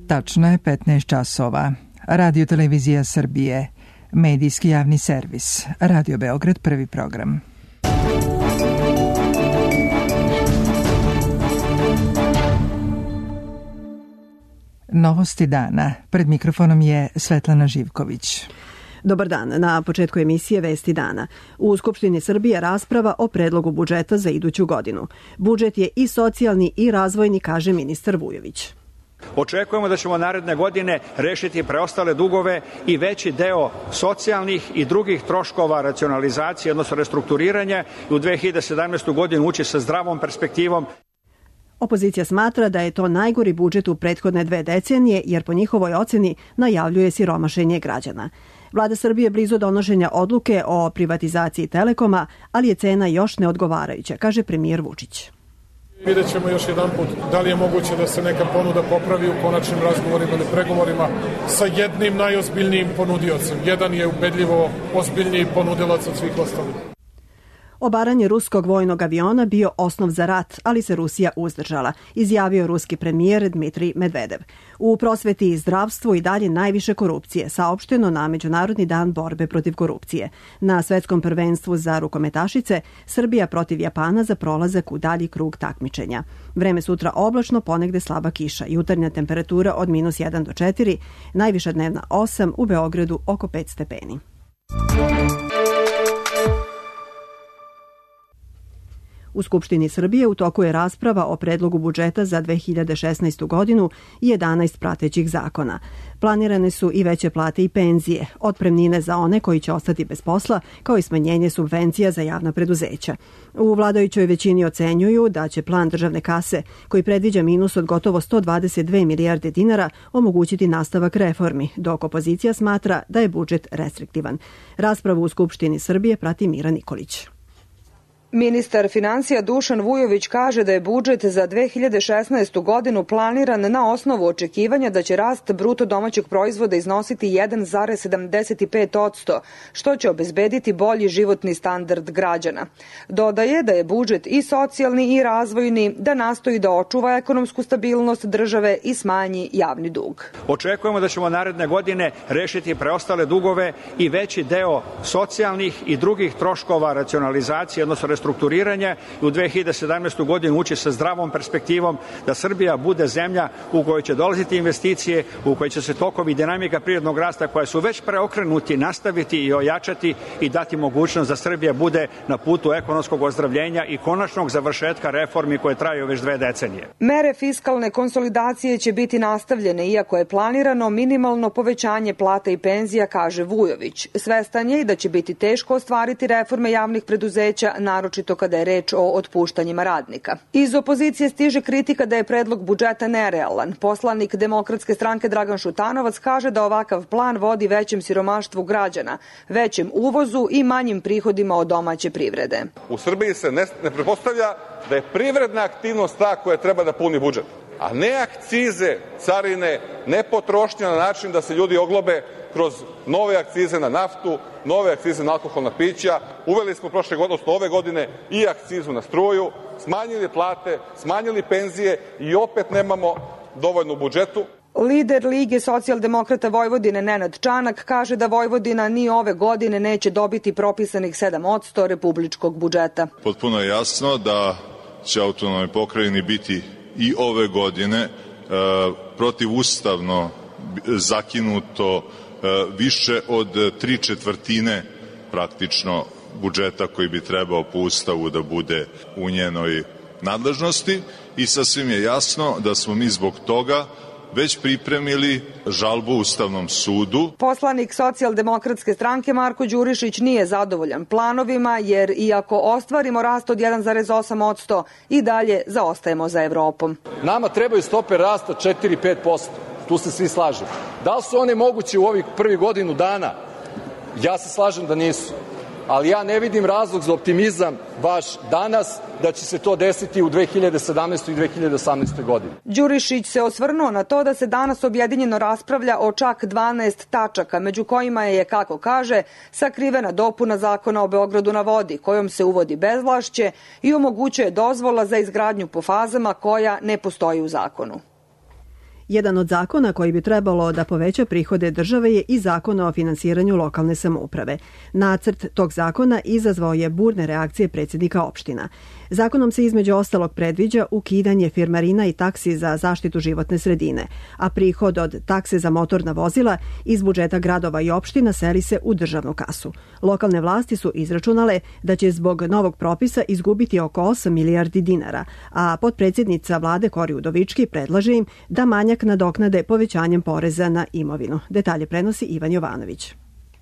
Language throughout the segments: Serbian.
Tačno je 15 časova. Radio Televizija Srbije, medijski javni servis, Radio Beograd, prvi program. Novosti dana. Pred mikrofonom je Svetlana Živković. Dobar dan. Na početku emisije Vesti dana. U Skupštini Srbije rasprava o predlogu budžeta za iduću godinu. Budžet je i socijalni i razvojni, kaže ministar Vujović. Očekujemo da ćemo naredne godine rešiti preostale dugove i veći deo socijalnih i drugih troškova racionalizacije, odnosno restrukturiranja, i u 2017. godinu ući sa zdravom perspektivom. Opozicija smatra da je to najgori budžet u prethodne 2 decenije, jer po njihovoj oceni najavljuje siromašenje građana. Vlada Srbije blizu donošenja odluke o privatizaciji Telekoma, ali je cena još neodgovarajuća, kaže premijer Vučić. Vidjet ćemo još jedan put da li je moguće da se neka ponuda popravi u konačnim razgovorima ili pregovorima sa jednim najozbiljnijim ponudiocem. Jedan je ubedljivo ozbiljniji ponudilac od svih ostalih. Obaranje ruskog vojnog aviona bio osnov za rat, ali se Rusija uzdržala, izjavio ruski premijer Dmitrij Medvedev. U prosveti i zdravstvu i dalje najviše korupcije, saopšteno na Međunarodni dan borbe protiv korupcije. Na svetskom prvenstvu za rukometašice Srbija protiv Japana za prolazak u dalji krug takmičenja. Vreme sutra oblačno, ponegde slaba kiša, jutarnja temperatura od -1 do 4, najviša dnevna 8, u Beogradu oko 5 stepeni. U Skupštini Srbije u toku je rasprava o predlogu budžeta za 2016. godinu i 11 pratećih zakona. Planirane su i veće plate i penzije, otpremnine za one koji će ostati bez posla, kao i smanjenje subvencija za javna preduzeća. U vladajućoj većini ocenjuju da će plan državne kase, koji predviđa minus od gotovo 122 milijarde dinara, omogućiti nastavak reformi, dok opozicija smatra da je budžet restriktivan. Raspravu u Skupštini Srbije prati Mira Nikolić. Ministar finansija Dušan Vujović kaže da je budžet za 2016. godinu planiran na osnovu očekivanja da će rast bruto domaćeg proizvoda iznositi 1,75%, što će obezbediti bolji životni standard građana. Dodaje da je budžet i socijalni i razvojni, da nastoji da očuva ekonomsku stabilnost države i smanji javni dug. Očekujemo da ćemo naredne godine rešiti preostale dugove i veći deo socijalnih i drugih troškova racionalizacije, odnosno restrukturiranja, i u 2017. godinu ući sa zdravom perspektivom da Srbija bude zemlja u kojoj će dolaziti investicije, u kojoj će se tokovi i dinamika prirodnog rasta koja su već preokrenuti nastaviti i ojačati i dati mogućnost da Srbija bude na putu ekonomskog ozdravljenja i konačnog završetka reformi koje traju već 2 decenije. Mere fiskalne konsolidacije će biti nastavljene, iako je planirano minimalno povećanje plata i penzija, kaže Vujović. Svestan je i da će biti teško ostvariti reforme javnih preduzeća, naročito kada je reč o otpuštanjima radnika. Iz opozicije stiže kritika da je predlog budžeta nerealan. Poslanik Demokratske stranke Dragan Šutanovac kaže da ovakav plan vodi većem siromaštvu građana, većem uvozu i manjim prihodima od domaće privrede. U Srbiji se ne pretpostavlja da je privredna aktivnost ta koja treba da puni budžet, a ne akcize, carine, ne potrošnja na način da se ljudi oglobe kroz nove akcize na naftu, nove akcize na alkoholna pića. Uveli smo ove godine i akcizu na struju, smanjili plate, smanjili penzije i opet nemamo dovoljno u budžetu. Lider Lige socijaldemokrata Vojvodine Nenad Čanak kaže da Vojvodina ni ove godine neće dobiti propisanih 7% republičkog budžeta. Potpuno je jasno da će autonomnoj pokrajini biti i ove godine protivustavno zakinuto više od 3/4 praktično budžeta koji bi trebao po Ustavu da bude u njenoj nadležnosti, i sasvim je jasno da smo mi zbog toga već pripremili žalbu Ustavnom sudu. Poslanik socijaldemokratske stranke Marko Đurišić nije zadovoljan planovima, jer iako ostvarimo rast od 1,8%, i dalje zaostajemo za Evropom. Nama trebaju stope rasta 4-5%. Tu se svi slažemo. Da li su one moguće u ovih prvih godinu dana? Ja se slažem da nisu. Ali ja ne vidim razlog za optimizam baš danas da će se to desiti u 2017. i 2018. godini. Đurišić se osvrnuo na to da se danas objedinjeno raspravlja o čak 12 tačaka, među kojima je, kako kaže, sakrivena dopuna Zakona o Beogradu na vodi, kojom se uvodi bezvlašće i omogućuje dozvola za izgradnju po fazama koja ne postoji u zakonu. Jedan od zakona koji bi trebalo da poveća prihode države je i zakon o finansiranju lokalne samouprave. Nacrt tog zakona izazvao je burne reakcije predsjednika opština. Zakonom se između ostalog predviđa ukidanje firmarina i taksi za zaštitu životne sredine, a prihod od takse za motorna vozila iz budžeta gradova i opština seli se u državnu kasu. Lokalne vlasti su izračunale da će zbog novog propisa izgubiti oko 8 milijardi dinara, a potpredsjednica vlade Kori Udovički predlaže im da manjak nadoknade povećanjem poreza na imovinu. Detalje prenosi Ivan Jovanović.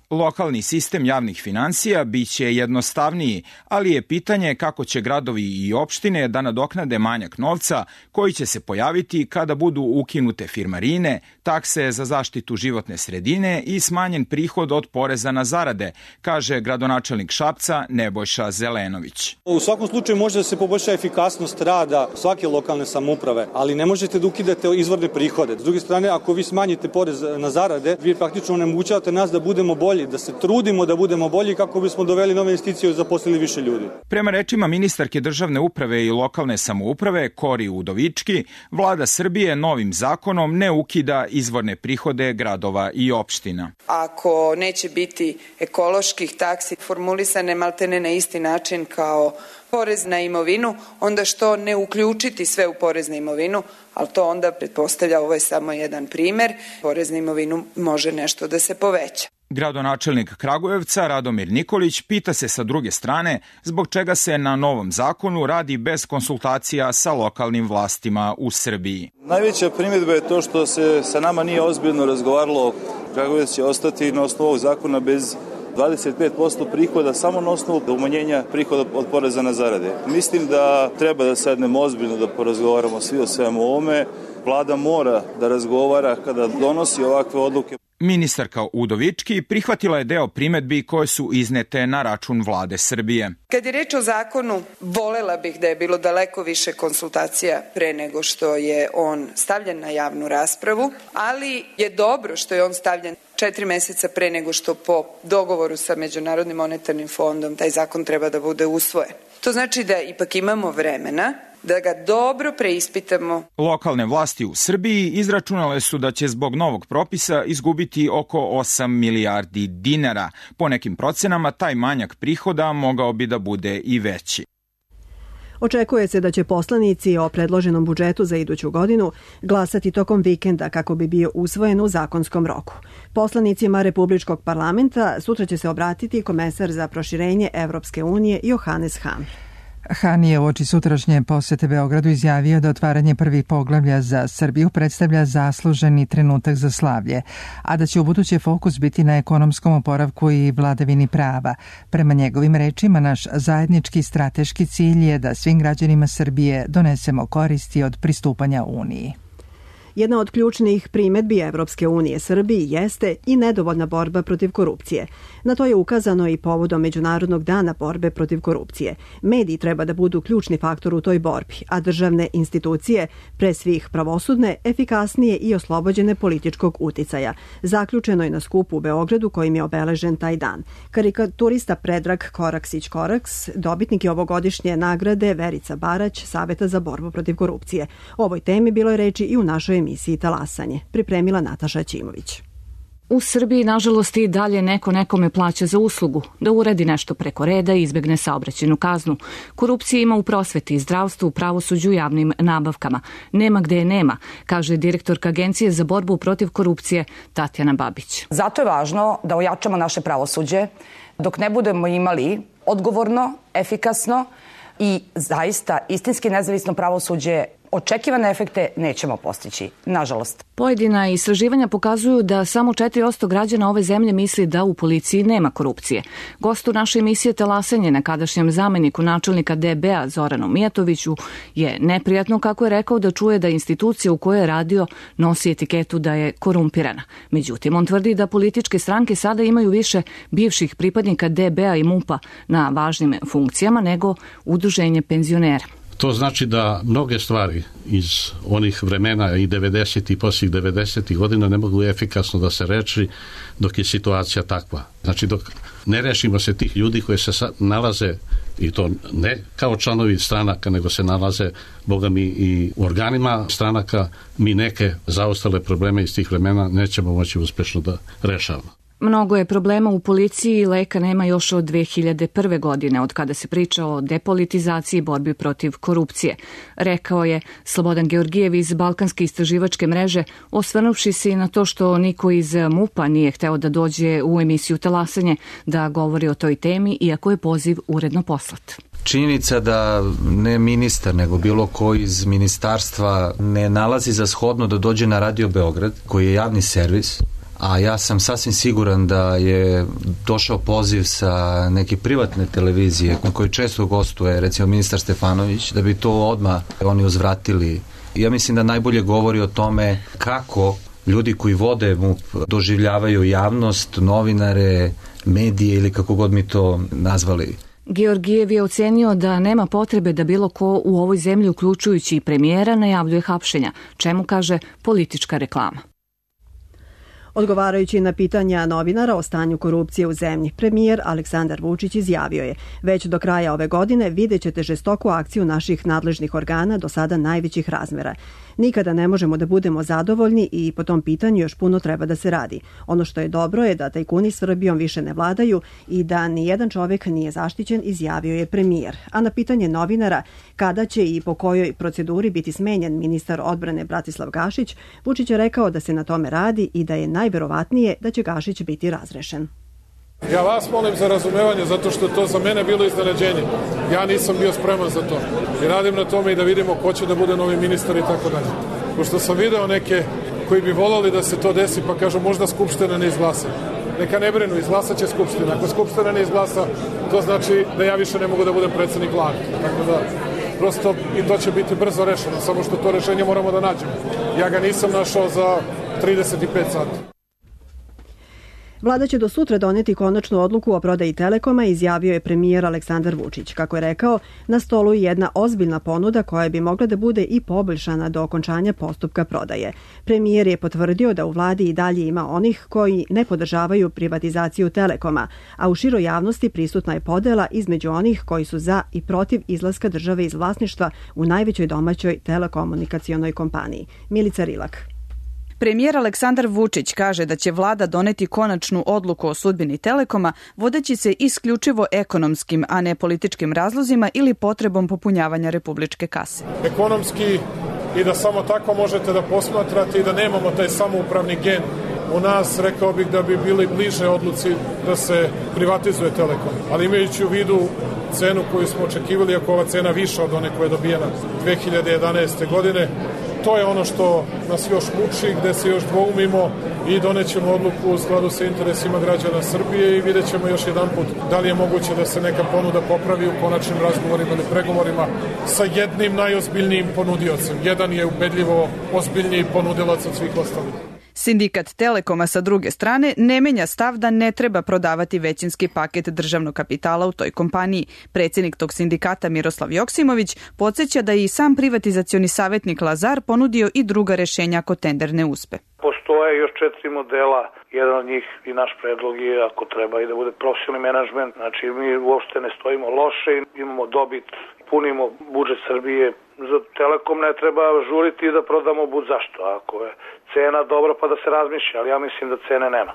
Lokalni sistem javnih finansija biće jednostavniji, ali je pitanje kako će gradovi i opštine da nadoknade manjak novca koji će se pojaviti kada budu ukinute firmarine, takse za zaštitu životne sredine i smanjen prihod od poreza na zarade, kaže gradonačelnik Šapca Nebojša Zelenović. U svakom slučaju može da se poboljša efikasnost rada svake lokalne samouprave, ali ne možete da ukidate izvorne prihode. S druge strane, ako vi smanjite porez na zarade, vi praktično onemogućavate nas da budemo bolji, da se trudimo da budemo bolji kako bismo doveli nove investicije i zaposlili više ljudi. Prema rečima ministarke državne uprave i lokalne samouprave Kori Udovički, vlada Srbije novim zakonom ne ukida izvorne prihode gradova i opština. Ako neće biti ekoloških taksi formulisane maltene na isti način kao porez na imovinu, onda što ne uključiti sve u porez na imovinu, ali to onda pretpostavlja, ovo je samo jedan primer, porez na imovinu može nešto da se poveća. Gradonačelnik Kragujevca Radomir Nikolić pita se sa druge strane zbog čega se na novom zakonu radi bez konsultacija sa lokalnim vlastima u Srbiji. Najveća primjedba je to što se sa nama nije ozbiljno razgovaralo. Kragujevac će ostati na osnovu ovog zakona bez 25% prihoda samo na osnovu umanjenja prihoda od poreza na zarade. Mislim da treba da sednemo ozbiljno da porazgovaramo svi o svemu ovome. Vlada mora da razgovara kada donosi ovakve odluke. Ministarka Udovički prihvatila je deo primedbi koje su iznete na račun vlade Srbije. Kad je reč o zakonu, volela bih da je bilo daleko više konsultacija pre nego što je on stavljen na javnu raspravu, ali je dobro što je on stavljen 4 meseca pre nego što po dogovoru sa Međunarodnim monetarnim fondom taj zakon treba da bude usvojen. To znači da ipak imamo vremena da ga dobro preispitamo. Lokalne vlasti u Srbiji izračunale su da će zbog novog propisa izgubiti oko 8 milijardi dinara. Po nekim procenama taj manjak prihoda mogao bi da bude i veći. Očekuje se da će poslanici o predloženom budžetu za iduću godinu glasati tokom vikenda kako bi bio usvojen u zakonskom roku. Poslanicima Republičkog parlamenta sutra će se obratiti komesar za proširenje Evropske unije Johannes Hahn. Han je uoči sutrašnje posete Beogradu izjavio da otvaranje prvih poglavlja za Srbiju predstavlja zasluženi trenutak za slavlje, a da će ubuduće fokus biti na ekonomskom oporavku i vladavini prava. Prema njegovim rečima, naš zajednički strateški cilj je da svim građanima Srbije donesemo koristi od pristupanja Uniji. Jedna od ključnih primedbi Evropske unije Srbiji jeste i nedovoljna borba protiv korupcije. Na to je ukazano i povodom Međunarodnog dana borbe protiv korupcije. Mediji treba da budu ključni faktor u toj borbi, a državne institucije, pre svih pravosudne, efikasnije i oslobođene političkog uticaja. Zaključeno je na skupu u Beogradu kojim je obeležen taj dan. Karikaturista Predrag Koraksić-Koraks, dobitnik je ovogodišnje nagrade Verica Barać, Saveta za borbu protiv korupcije. O ovoj temi bilo je reči i u našoj emisiji Talasanje, pripremila Nataša Ćimović. U Srbiji, nažalost, i dalje neko nekome plaća za uslugu, da uredi nešto preko reda i izbegne saobraćajnu kaznu. Korupcije ima u prosveti, zdravstvu, pravosuđu i javnim nabavkama. Nema gde je nema, kaže direktorka Agencije za borbu protiv korupcije Tatjana Babić. Zato je važno da ojačamo naše pravosuđe dok ne budemo imali odgovorno, efikasno i zaista istinski nezavisno pravosuđe. Očekivane efekte nećemo postići, nažalost. Pojedina istraživanja pokazuju da samo 4% građana ove zemlje misli da u policiji nema korupcije. Gostu naše emisije Talasanje, nekadašnjem zameniku načelnika DB-a Zoranu Mijatoviću, je neprijatno, kako je rekao, da čuje da institucija u kojoj je radio nosi etiketu da je korumpirana. Međutim, on tvrdi da političke stranke sada imaju više bivših pripadnika DB-a i MUP-a na važnim funkcijama nego udruženje penzionera. To znači da mnoge stvari iz onih vremena i 90. i poslije 90. godina ne mogu efikasno da se reši dok je situacija takva. Znači dok ne rešimo se tih ljudi koji se nalaze i to ne kao članovi stranaka, nego se nalaze, boga mi, i u organima stranaka. Mi neke zaostale probleme iz tih vremena nećemo moći uspešno da rešavamo. Mnogo je problema u policiji i leka nema još od 2001. godine, od kada se priča o depolitizaciji i borbi protiv korupcije, rekao je Slobodan Georgijev iz Balkanske istraživačke mreže, osvrnuvši se i na to što niko iz MUP-a nije hteo da dođe u emisiju Talasanje da govori o toj temi, iako je poziv uredno poslat. Činjenica da ne ministar, nego bilo ko iz ministarstva ne nalazi za shodno da dođe na Radio Beograd, koji je javni servis, a ja sam sasvim siguran da je došao poziv sa neke privatne televizije na kojoj često gostuje, recimo ministar Stefanović, da bi to odmah oni uzvratili. Ja mislim da najbolje govori o tome kako ljudi koji vode MUP doživljavaju javnost, novinare, medije ili kako god mi to nazvali. Georgijev je ocenio da nema potrebe da bilo ko u ovoj zemlji, uključujući i premijera, najavljuje hapšenja, čemu kaže politička reklama. Odgovarajući na pitanja novinara o stanju korupcije u zemlji, premijer Aleksandar Vučić izjavio je: već do kraja ove godine vidjet ćete žestoku akciju naših nadležnih organa, do sada najvećih razmera. Nikada ne možemo da budemo zadovoljni i po tom pitanju još puno treba da se radi. Ono što je dobro je da tajkuni Srbijom više ne vladaju i da nijedan čovjek nije zaštićen, izjavio je premijer. A na pitanje novinara kada će i po kojoj proceduri biti smenjen ministar odbrane Bratislav Gašić, Vučić je rekao da se na tome radi i da je najverovatnije da će Gašić biti razrešen. Ja vas molim za razumevanje, zato što to za mene bilo iznenađenje. Ja nisam bio spreman za to. I radim na tome i da vidimo ko će da bude novi ministar i tako dalje. Pošto sam video neke koji bi volali da se to desi, pa kažu možda Skupština ne izglasa. Neka ne brinu, izglasat će Skupština. Ako Skupština ne izglasa, to znači da ja više ne mogu da budem predsjednik vlade. Tako da, prosto i to će biti brzo rešeno, samo što to rešenje moramo da nađemo. Ja ga nisam našao za 35 sati. Vlada će do sutra doneti konačnu odluku o prodaji Telekoma, izjavio je premijer Aleksandar Vučić. Kako je rekao, na stolu je jedna ozbiljna ponuda koja bi mogla da bude i poboljšana do okončanja postupka prodaje. Premijer je potvrdio da u vladi i dalje ima onih koji ne podržavaju privatizaciju Telekoma, a u široj javnosti prisutna je podela između onih koji su za i protiv izlaska države iz vlasništva u najvećoj domaćoj telekomunikacionoj kompaniji. Milica Rilak. Premijer Aleksandar Vučić kaže da će vlada doneti konačnu odluku o sudbini Telekoma, vodeći se isključivo ekonomskim, a ne političkim razlozima ili potrebom popunjavanja republičke kase. Ekonomski i da samo tako možete da posmatrate i da nemamo taj samoupravni gen u nas, rekao bih da bi bili bliže odluci da se privatizuje Telekom. Ali imajući u vidu cenu koju smo očekivali, ako ova cena viša od one koja je dobijena 2011. godine, to je ono što nas još muči, gde se još dvoumimo i donećemo odluku u skladu sa interesima građana Srbije i vidjet ćemo još jedan put da li je moguće da se neka ponuda popravi u konačnim razgovorima ili pregovorima sa jednim najozbiljnijim ponudiocem. Jedan je ubedljivo ozbiljniji ponudilac od svih ostalih. Sindikat Telekoma sa druge strane ne menja stav da ne treba prodavati većinski paket državnog kapitala u toj kompaniji. Predsjednik tog sindikata Miroslav Joksimović podsjeća da je i sam privatizacioni savjetnik Lazar ponudio i druga rešenja ako tender ne uspe. Postoje još 4 modela, jedan od njih i naš predlog je ako treba i da bude profesionalni menadžment. Znači mi uopšte ne stojimo loše, imamo dobit, punimo budžet Srbije. Za Telekom ne treba žuriti da prodamo bud zašto. Ako je cena dobra pa da se razmišlja, ali ja mislim da cene nema.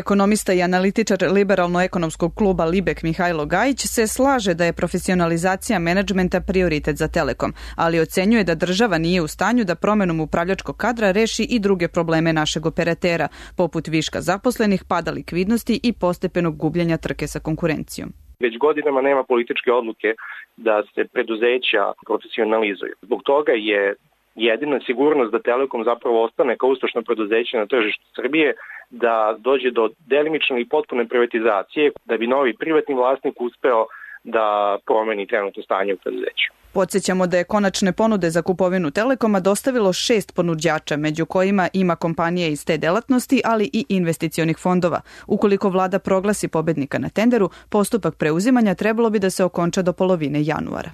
Ekonomista i analitičar liberalno-ekonomskog kluba Libek Mihajlo Gajić se slaže da je profesionalizacija menadžmenta prioritet za Telekom, ali ocenjuje da država nije u stanju da promenom upravljačkog kadra reši i druge probleme našeg operatera, poput viška zaposlenih, pada likvidnosti i postepenog gubljenja trke sa konkurencijom. Već godinama nema političke odluke da se preduzeća profesionalizuju. Zbog toga je jedina sigurnost da Telekom zapravo ostane kao uspešno preduzeće na tržištu Srbije, da dođe do delimične i potpune privatizacije, da bi novi privatni vlasnik uspeo da promeni trenutno stanje u preduzeću. Podsjećamo da je konačne ponude za kupovinu Telekoma dostavilo 6 ponuđača, među kojima ima kompanije iz te delatnosti, ali i investicionih fondova. Ukoliko vlada proglasi pobednika na tenderu, postupak preuzimanja trebalo bi da se okonča do polovine januara.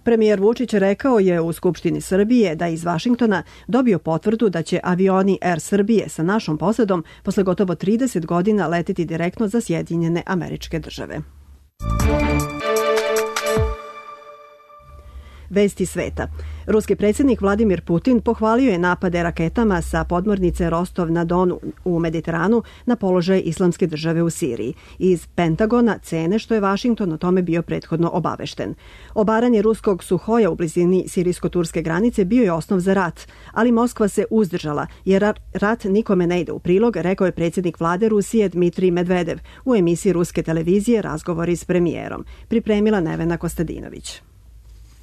Premijer Vučić rekao je u Skupštini Srbije da iz Vašingtona dobio potvrdu da će avioni Air Srbije sa našom posadom posle gotovo 30 godina leteti direktno za Sjedinjene Američke Države. Vesti sveta. Ruski predsjednik Vladimir Putin pohvalio je napade raketama sa podmornice Rostov-na-Donu u Mediteranu na položaj Islamske države u Siriji. Iz Pentagona cene što je Vašington o tome bio prethodno obavešten. Obaranje ruskog Suhoja u blizini sirijsko-turske granice bio je osnov za rat, ali Moskva se uzdržala jer rat nikome ne ide u prilog, rekao je predsjednik vlade Rusije Dmitrij Medvedev u emisiji ruske televizije Razgovori s premijerom. Pripremila Nevena Kostadinović.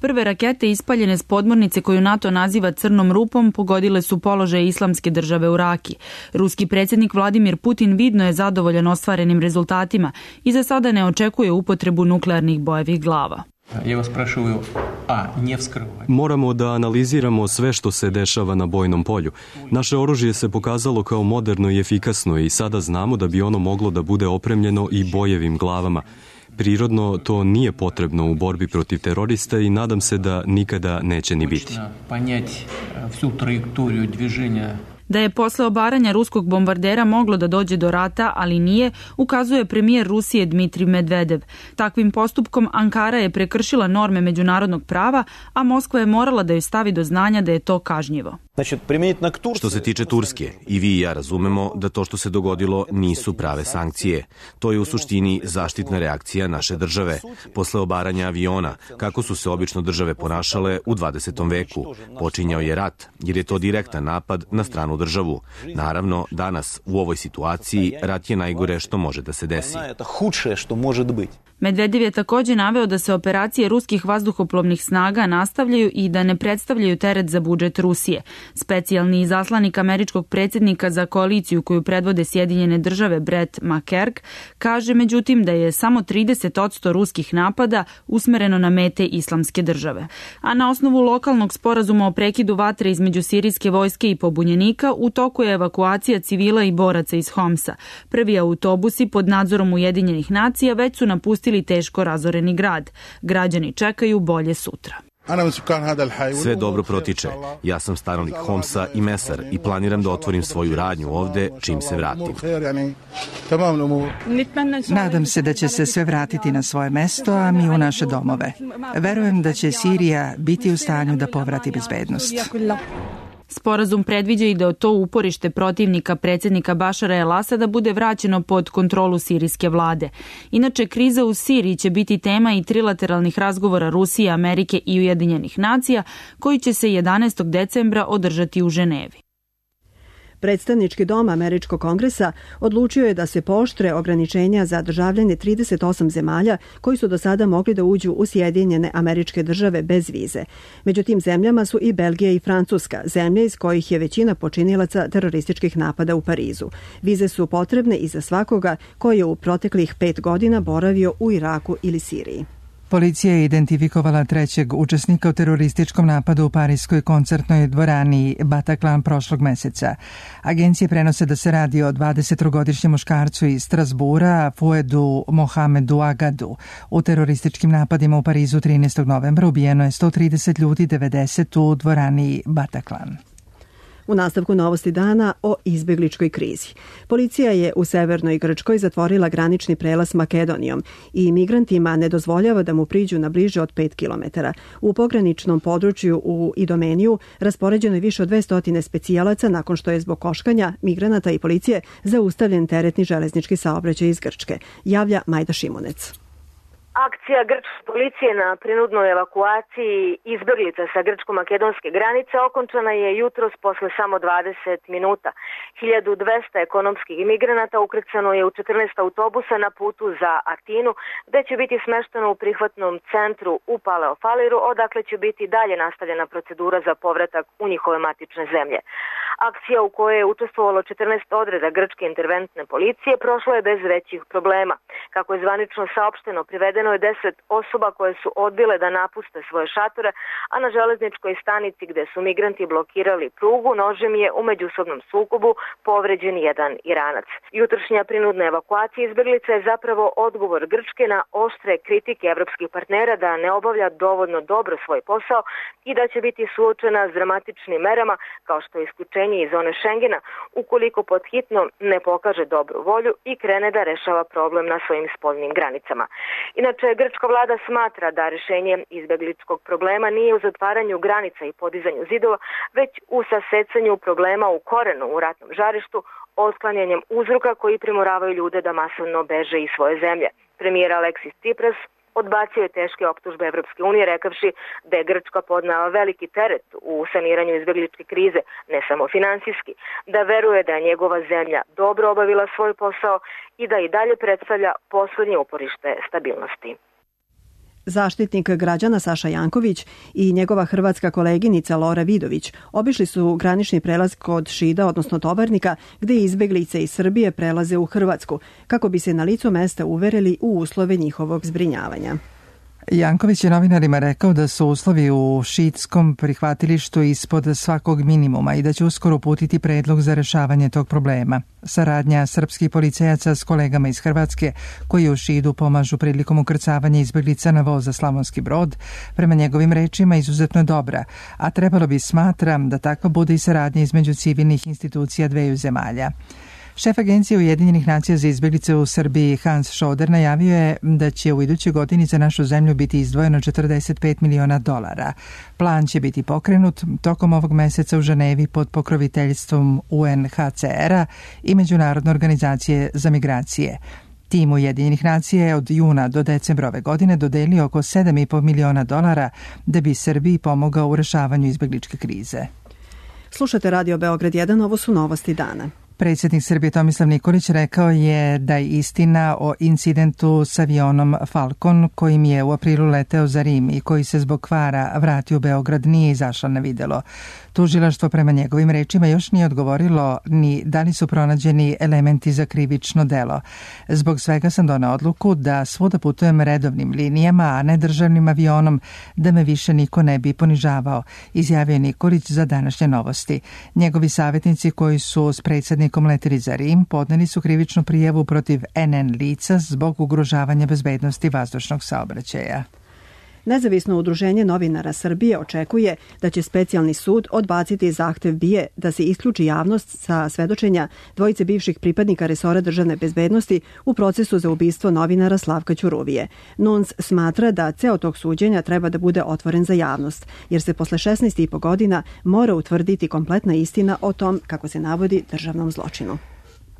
Prve rakete ispaljene s podmornice koju NATO naziva crnom rupom pogodile su položaj Islamske države u Raki. Ruski predsjednik Vladimir Putin vidno je zadovoljan ostvarenim rezultatima i za sada ne očekuje upotrebu nuklearnih bojevih glava. Moramo da analiziramo sve što se dešava na bojnom polju. Naše oružje se pokazalo kao moderno i efikasno i sada znamo da bi ono moglo da bude opremljeno i bojevim glavama. Prirodno, to nije potrebno u borbi protiv terorista i nadam se da nikada neće ni biti. Da je posle obaranja ruskog bombardera moglo da dođe do rata, ali nije, ukazuje premijer Rusije Dmitrij Medvedev. Takvim postupkom Ankara je prekršila norme međunarodnog prava, a Moskva je morala da joj stavi do znanja da je to kažnjivo. Što se tiče Turske, i vi i ja razumemo da to što se dogodilo nisu prave sankcije. To je u suštini zaštitna reakcija naše države. Posle obaranja aviona, kako su se obično države ponašale u 20. veku, počinjao je rat, jer je to direktan napad na stranu državu. Naravno, danas u ovoj situaciji rat je najgore što može da se desi. Medvedev je također naveo da se operacije ruskih vazduhoplovnih snaga nastavljaju i da ne predstavljaju teret za budžet Rusije. Specijalni izaslanik američkog predsjednika za koaliciju koju predvode Sjedinjene države Brett McCurk kaže međutim da je samo 30% ruskih napada usmereno na mete Islamske države. A na osnovu lokalnog sporazuma o prekidu vatre između sirijske vojske i pobunjenika u toku je evakuacija civila i boraca iz Homsa. Prvi autobusi pod nadzorom Ujedinjenih nacija već su napustili teško razoreni grad. Građani čekaju bolje sutra. Sve dobro protiče. Ja sam stanovnik Homsa i Mesar i planiram da otvorim svoju radnju ovde čim se vratim. Nadam se da će se sve vratiti na svoje mesto, a mi u naše domove. Verujem da će Sirija biti u stanju da povrati bezbednost. Sporazum predviđa i da to uporište protivnika predsjednika Bašara el-Asada bude vraćeno pod kontrolu sirijske vlade. Inače, kriza u Siriji će biti tema i trilateralnih razgovora Rusije, Amerike i Ujedinjenih nacija, koji će se 11. decembra održati u Ženevi. Predstavnički dom Američkog kongresa odlučio je da se pooštre ograničenja za državljane 38 zemalja koji su do sada mogli da uđu u Sjedinjene Američke Države bez vize. Među tim zemljama su i Belgija i Francuska, zemlje iz kojih je većina počinilaca terorističkih napada u Parizu. Vize su potrebne i za svakoga koji je u proteklih 5 godina boravio u Iraku ili Siriji. Policija je identifikovala trećeg učesnika u terorističkom napadu u parijskoj koncertnoj dvorani Bataclan prošlog meseca. Agencije prenose da se radi o 23-godišnjem muškarcu iz Strasbura, Fouedu Mohamedu Agadu. U terorističkim napadima u Parizu 13. novembra ubijeno je 130 ljudi, 90 u dvorani Bataclan. U nastavku novosti dana o izbegličkoj krizi. Policija je u severnoj Grčkoj zatvorila granični prelaz s Makedonijom i migrantima ne dozvoljava da mu priđu na bliže od 5 km. U pograničnom području u Idomeniju raspoređeno je više od 200 specijalaca nakon što je zbog koškanja migranata i policije zaustavljen teretni železnički saobraćaj iz Grčke. Javlja Majda Šimunec. Akcija grčke policije na prinudnoj evakuaciji izbeglica sa grčko-makedonske granice okončana je jutros posle samo 20 minuta. 1200 ekonomskih imigranata ukrcano je u 14 autobusa na putu za Atinu, gde će biti smešteno u prihvatnom centru u Paleofaliru, odakle će biti dalje nastavljena procedura za povratak u njihove matične zemlje. Akcija u kojoj je učestvovalo 14 odreda grčke interventne policije prošla je bez većih problema. Kako je zvanično saopšteno, privedeno je 10 osoba koje su odbile da napuste svoje šatore, a na železničkoj stanici gde su migranti blokirali prugu, nožem je u međusobnom sukobu povređen jedan Iranac. Jutrošnja prinudna evakuacija izbeglica je zapravo odgovor Grčke na oštre kritike evropskih partnera da ne obavlja dovoljno dobro svoj posao i da će biti suočena s dramatičnim merama kao što je isključenje isključenje iz zone Šengena ukoliko podhitno ne pokaže dobru volju i krene da rešava problem na svojim spoljnim granicama. Inače, grčka vlada smatra da rešenje izbegličkog problema nije u zatvaranju granica i podizanju zidova, već u sasecanju problema u korenu u ratnom žarištu, otklanjanjem uzroka koji primoravaju ljude da masovno beže iz svoje zemlje. Premijer Aleksis Tsipras odbacio je teške optužbe Evropske unije, rekavši da je Grčka podnela veliki teret u saniranju izbegličke krize, ne samo finansijski, da veruje da je njegova zemlja dobro obavila svoj posao i da i dalje predstavlja poslednje uporište stabilnosti. Zaštitnik građana Saša Janković i njegova hrvatska koleginica Lora Vidović obišli su granični prelaz kod Šida, odnosno Tovarnika, gde izbeglice iz Srbije prelaze u Hrvatsku, kako bi se na licu mesta uverili u uslove njihovog zbrinjavanja. Janković je novinarima rekao da su uslovi u šiitskom prihvatilištu ispod svakog minimuma i da će uskoro uputiti predlog za rešavanje tog problema. Saradnja srpskih policajaca s kolegama iz Hrvatske koji u Šidu pomažu prilikom ukrcavanja izbeglica na voz za Slavonski Brod, prema njegovim rečima izuzetno je dobra, a trebalo bi, smatram, da takva bude i saradnja između civilnih institucija dveju zemalja. Šef Agencije Ujedinjenih nacija za izbeglice u Srbiji Hans Schoder najavio je da će u idućoj godini za našu zemlju biti izdvojeno $45 miliona. Plan će biti pokrenut tokom ovog meseca u Ženevi pod pokroviteljstvom UNHCR-a i Međunarodne organizacije za migracije. Tim Ujedinjenih nacija je od juna do decembra ove godine dodelio oko $7,5 miliona da bi Srbiji pomogao u rešavanju izbegličke krize. Slušate Radio Beograd 1, ovo su novosti dana. Predsjednik Srbije Tomislav Nikolić rekao je da je istina o incidentu s avionom Falcon kojim je u aprilu leteo za Rim i koji se zbog kvara vratio u Beograd nije izašla na videlo. Tužilaštvo prema njegovim rečima još nije odgovorilo ni da li su pronađeni elementi za krivično delo. Zbog svega sam doneo odluku da svuda putujem redovnim linijama, a ne državnim avionom, da me više niko ne bi ponižavao, izjavio Nikolić za današnje novosti. Njegovi savjetnici koji su s predsjednikom leteli za Rim podneli su krivičnu prijavu protiv NN lica zbog ugrožavanja bezbednosti vazdušnog saobraćaja. Nezavisno udruženje novinara Srbije očekuje da će specijalni sud odbaciti zahtev BIA da se isključi javnost sa svedočenja dvojice bivših pripadnika resora državne bezbednosti u procesu za ubistvo novinara Slavka Ćuruvije. NUNS smatra da ceo tog suđenja treba da bude otvoren za javnost, jer se posle 16,5 godina mora utvrditi kompletna istina o tom, kako se navodi, državnom zločinu.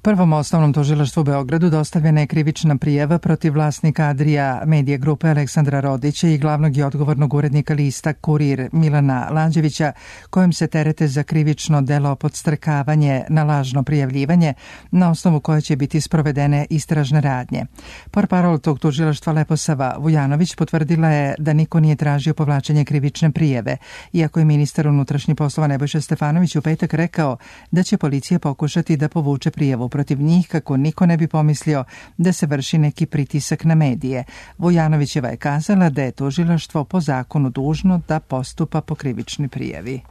Prvom osnovnom tužilaštvu u Beogradu dostavljena je krivična prijava protiv vlasnika Adria Medije grupe Aleksandra Rodića i glavnog i odgovornog urednika lista Kurir Milana Lađevića, kojim se terete za krivično delo podstrekavanje na lažno prijavljivanje, na osnovu koje će biti sprovedene istražne radnje. Portparol tog tužilaštva Leposava Vujanović potvrdila je da niko nije tražio povlačenje krivične prijave, iako je ministar unutrašnjih poslova Nebojša Stefanović u petak rekao da će policija pokušati da povuče prijavu protiv njih kako niko ne bi pomislio da se vrši neki pritisak na medije. Vujanovićeva je kazala da je tužilaštvo po zakonu dužno da postupa po krivičnoj prijavi.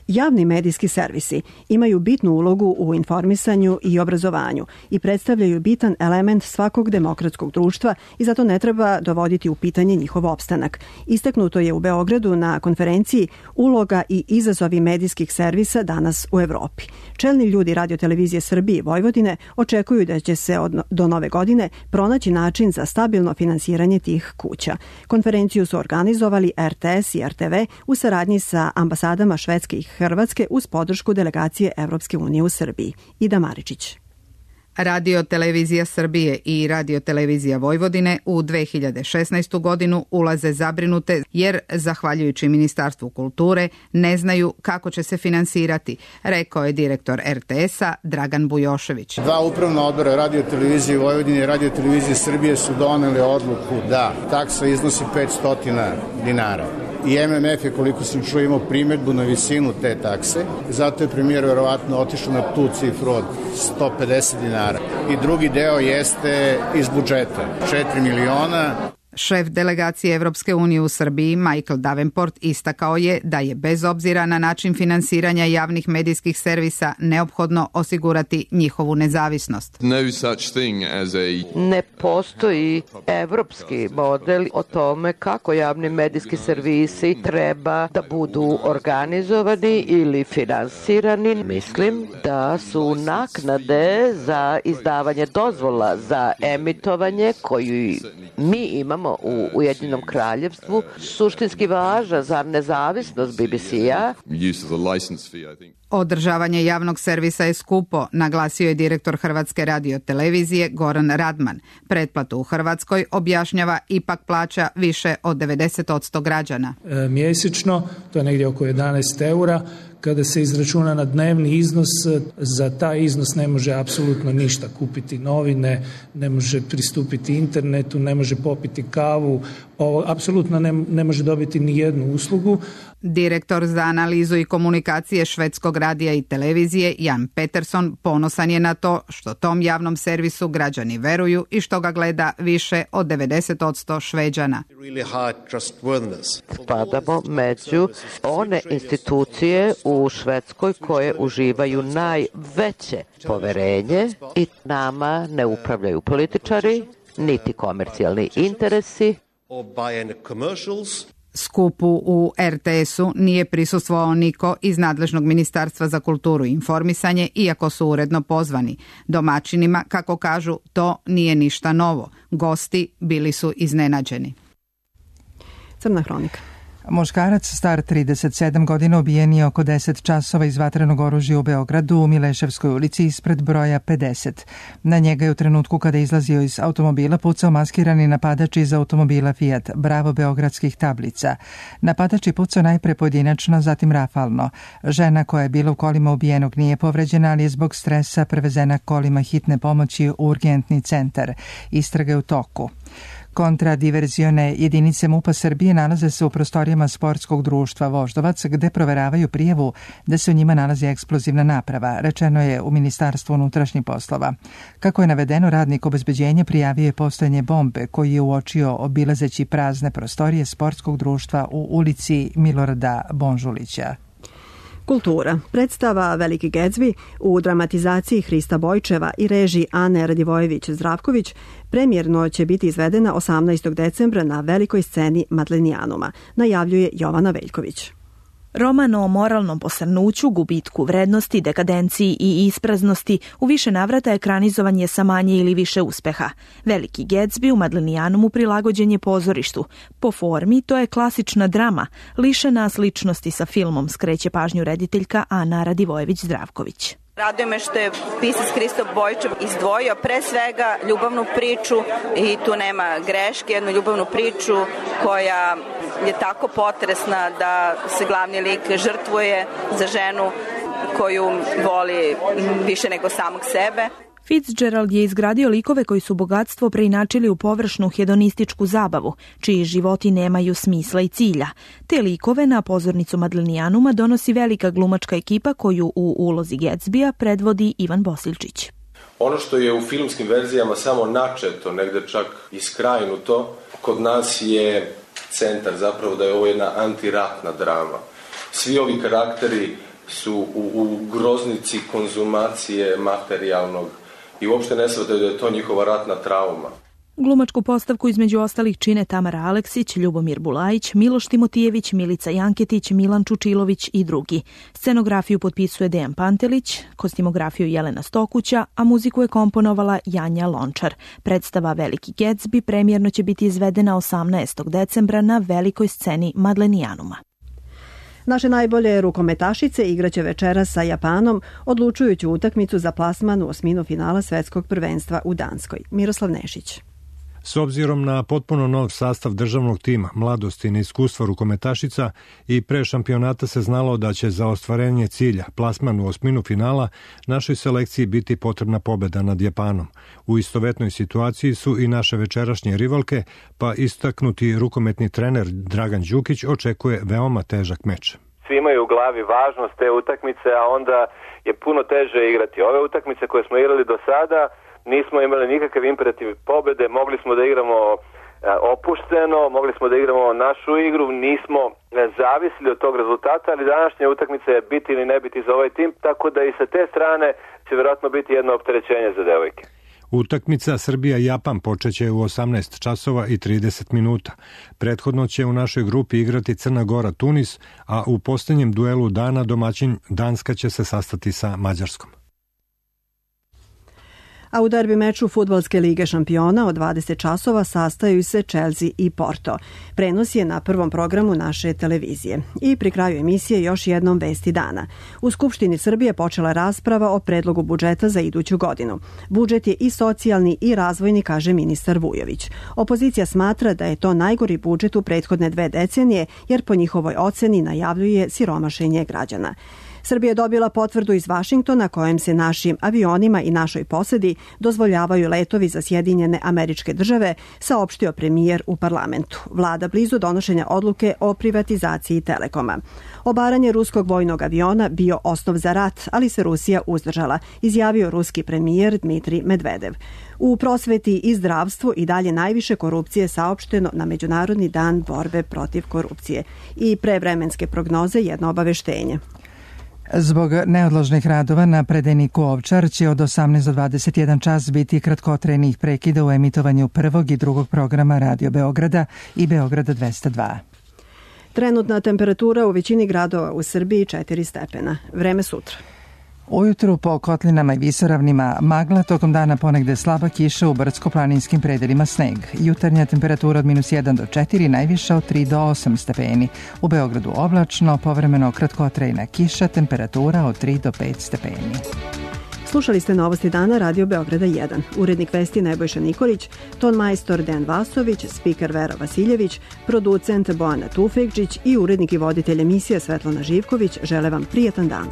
Javni medijski servisi imaju bitnu ulogu u informisanju i obrazovanju i predstavljaju bitan element svakog demokratskog društva i zato ne treba dovoditi u pitanje njihov opstanak. Istaknuto je u Beogradu na konferenciji Uloga i izazovi medijskih servisa danas u Evropi. Čelni ljudi Radio-televizije Srbije i Vojvodine očekuju da će se do nove godine pronaći način za stabilno finansiranje tih kuća. Konferenciju su organizovali RTS i RTV u saradnji sa ambasadama Švedske i Hrvatske uz podršku delegacije Evropske unije u Srbiji. Ida Maričić. Radio-televizija Srbije i Radio-televizija Vojvodine u 2016. godinu ulaze zabrinute jer, zahvaljujući Ministarstvu kulture, ne znaju kako će se finansirati, rekao je direktor RTS-a Dragan Bujošević. Dva upravna odbora Radio-televizije Vojvodine i Radio-televizije Srbije su doneli odluku da taksa iznosi 500 dinara. I MMF je, koliko sam čuo, imao primjedbu na visinu te takse. Zato je premijer verovatno otišao na tu cifru od 150 dinara. I drugi deo jeste iz budžeta, 4 miliona. Šef delegacije Evropske unije u Srbiji, Michael Davenport, istakao je da je bez obzira na način finansiranja javnih medijskih servisa neophodno osigurati njihovu nezavisnost. Ne postoji evropski model o tome kako javni medijski servisi treba da budu organizovani ili finansirani. Mislim da su naknade za izdavanje dozvola za emitovanje koju mi imamo u Ujedinjenom kraljevstvu suštinski važna za nezavisnost BBC-a. Održavanje javnog servisa je skupo, naglasio je direktor Hrvatske radiotelevizije Goran Radman. Pretplatu u Hrvatskoj, objašnjava, ipak plaća više od 90% građana. Mjesečno, to je negdje oko 11 eura. Kada se izračuna na dnevni iznos, za taj iznos ne može apsolutno ništa kupiti, novine, ne može pristupiti internetu, ne može popiti kavu, apsolutno ne može dobiti ni jednu uslugu. Direktor za analizu i komunikacije Švedskog radija i televizije Jan Peterson ponosan je na to što tom javnom servisu građani veruju i što ga gleda više od 90% Šveđana. Spadamo među one institucije u Švedskoj koje uživaju najveće poverenje i nama ne upravljaju političari, niti komercijalni interesi. Skupu u RTS-u nije prisustvovao niko iz nadležnog Ministarstva za kulturu i informisanje, iako su uredno pozvani. Domaćinima, kako kažu, to nije ništa novo. Gosti bili su iznenađeni. Crna hronika. Muškarac star 37 godina ubijen je oko 10 časova iz vatrenog oružja u Beogradu u Mileševskoj ulici ispred broja 50. Na njega je u trenutku kada je izlazio iz automobila pucao maskirani napadač iz automobila Fiat Bravo beogradskih tablica. Napadač je pucao najpre pojedinačno, zatim rafalno. Žena koja je bila u kolima ubijenog nije povređena, ali je zbog stresa prevezena kolima hitne pomoći u urgentni centar. Istraga je u toku. Kontradiverzione jedinice MUP-a Srbije nalaze se u prostorijama sportskog društva Voždovac, gde proveravaju prijavu da se u njima nalazi eksplozivna naprava, rečeno je u Ministarstvu unutrašnjih poslova. Kako je navedeno, radnik obezbeđenja prijavio je postojanje bombe koju je uočio obilazeći prazne prostorije sportskog društva u ulici Milorada Bonžulića. Kultura. Predstava Veliki Gatsby u dramatizaciji Hrista Bojčeva i režiji Ane Radivojević-Zdravković premijerno će biti izvedena 18. decembra na velikoj sceni Madlenijanuma, najavljuje Jovana Veljković. Roman o moralnom posrnuću, gubitku vrednosti, dekadenciji i ispraznosti u više navrata ekranizovan je sa manje ili više uspeha. Veliki Gatsby u Madlenijanumu prilagođen je pozorištu. Po formi to je klasična drama, lišena sličnosti sa filmom, skreće pažnju rediteljka Ana Radivojević-Zdravković. Raduje me što je pisac Hristo Bojčev izdvojio pre svega ljubavnu priču i tu nema greške, jednu ljubavnu priču koja je tako potresna da se glavni lik žrtvuje za ženu koju voli više nego samog sebe. Fitzgerald je izgradio likove koji su bogatstvo preinačili u površnu hedonističku zabavu, čiji životi nemaju smisla i cilja. Te likove na pozornicu Madlenijanuma donosi velika glumačka ekipa koju u ulozi Gatsbya predvodi Ivan Bosiljčić. Ono što je u filmskim verzijama samo načeto, negde čak iskrajnuto, kod nas je centar zapravo da je ovo jedna antiratna drama. Svi ovi karakteri su u groznici konzumacije materijalnog i uopšte ne shvataju da je to njihova ratna trauma. Glumačku postavku između ostalih čine Tamara Aleksić, Ljubomir Bulajić, Miloš Timotijević, Milica Janketić, Milan Čučilović i drugi. Scenografiju potpisuje Dejan Pantelić, kostimografiju Jelena Stokuća, a muziku je komponovala Janja Lončar. Predstava Veliki Gatsby premijerno će biti izvedena 18. decembra na velikoj sceni Madlenijanuma. Naše najbolje rukometašice igraće večeras sa Japanom odlučujuću utakmicu za plasman u osminu finala svetskog prvenstva u Danskoj. Miroslav Nešić. S obzirom na potpuno nov sastav državnog tima, mladosti i neiskustva rukometašica i pre šampionata se znalo da će za ostvarenje cilja, plasman u osminu finala, našoj selekciji biti potrebna pobeda nad Japanom. U istovetnoj situaciji su i naše večerašnje rivalke, pa istaknuti rukometni trener Dragan Đukić očekuje veoma težak meč. Svi imaju u glavi važnost te utakmice, a onda je puno teže igrati. Ove utakmice koje smo igrali do sada, nismo imali nikakav imperativ pobede, mogli smo da igramo opušteno, mogli smo da igramo našu igru, nismo zavisili od tog rezultata, ali današnja utakmica je biti ili ne biti za ovaj tim, tako da i sa te strane će vjerojatno biti jedno opterećenje za devojke. Utakmica Srbija-Japan počeće u 18 časova i 30 minuta. Prethodno će u našoj grupi igrati Crna Gora-Tunis, a u posljednjem duelu dana domaćin Danska će se sastati sa Mađarskom. A u derbi meču Fudbalske lige šampiona od 20 časova sastaju se Chelsea i Porto. Prenos je na prvom programu naše televizije. I pri kraju emisije još jednom vesti dana. U Skupštini Srbije počela rasprava o predlogu budžeta za iduću godinu. Budžet je i socijalni i razvojni, kaže ministar Vujović. Opozicija smatra da je to najgori budžet u prethodne 2 decenije, jer po njihovoj oceni najavljuje siromašenje građana. Srbija je dobila potvrdu iz Vašingtona kojem se našim avionima i našoj posedi dozvoljavaju letovi za Sjedinjene Američke Države, saopštio premijer u parlamentu. Vlada blizu donošenja odluke o privatizaciji Telekoma. Obaranje ruskog vojnog aviona bio osnov za rat, ali se Rusija uzdržala, izjavio ruski premijer Dmitrij Medvedev. U prosveti i zdravstvu i dalje najviše korupcije saopšteno na Međunarodni dan borbe protiv korupcije. I pre vremenske prognoze jedno obaveštenje. Zbog neodložnih radova na predajniku Ovčar će od 18 do 21 čas biti kratkotrajnih prekida u emitovanju prvog i drugog programa Radio Beograda i Beograda 202. Trenutna temperatura u većini gradova u Srbiji 4 stepena. Vreme sutra. Ujutru po kotlinama i visoravnima magla, tokom dana ponegde slaba kiša, u brdsko-planinskim predelima sneg. Jutarnja temperatura od -1 do 4, najviša od 3 do 8 stepeni. U Beogradu oblačno, povremeno kratkotrajna kiša, temperatura od 3 do 5 stepeni. Slušali ste Novosti dana Radio Beograda 1. Urednik vesti Nebojša Nikolić, ton majstor Dejan Vasović, spiker Vera Vasiljević, producent Bojana Tufekđić i urednik i voditelj emisije Svetlana Živković žele vam prijatan dan.